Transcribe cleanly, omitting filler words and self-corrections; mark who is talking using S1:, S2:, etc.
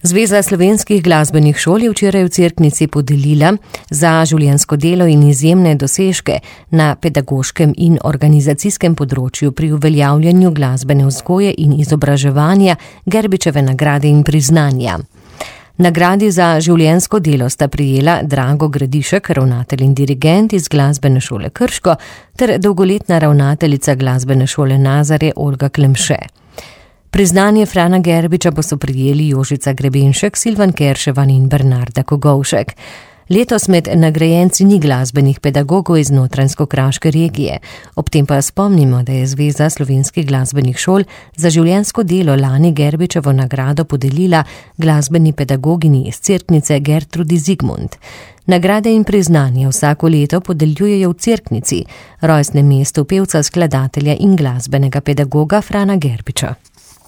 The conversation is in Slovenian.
S1: Zveza slovenskih glasbenih šol je včeraj v Cerknici podelila za življenjsko delo in izjemne dosežke na pedagoškem in organizacijskem področju pri uveljavljanju glasbene vzgoje in izobraževanja Gerbičeve nagrade in priznanja. Nagradi za življenjsko delo sta prejela Drago Gradišek, ravnatelj in dirigent iz Glasbene šole Krško, ter dolgoletna ravnateljica Glasbene šole Nazarje Olga Klemše. Priznanje Frana Gerbiča pa so prejeli Jožica Grebenšek, Silvan Kerševan in Bernarda Kogovšek. Letos med nagrajenci ni glasbenih pedagogov iz Notranjsko-Kraške regije. Ob tem pa spomnimo, da je Zveza slovenskih glasbenih šol za življenjsko delo lani Gerbičevo nagrado podelila glasbeni pedagogini iz Cerknice Gertrudi Zigmund. Nagrade in priznanje vsako leto podeljujejo v Cerknici, rojstnem mestu pevca, skladatelja in glasbenega pedagoga Frana Gerbiča.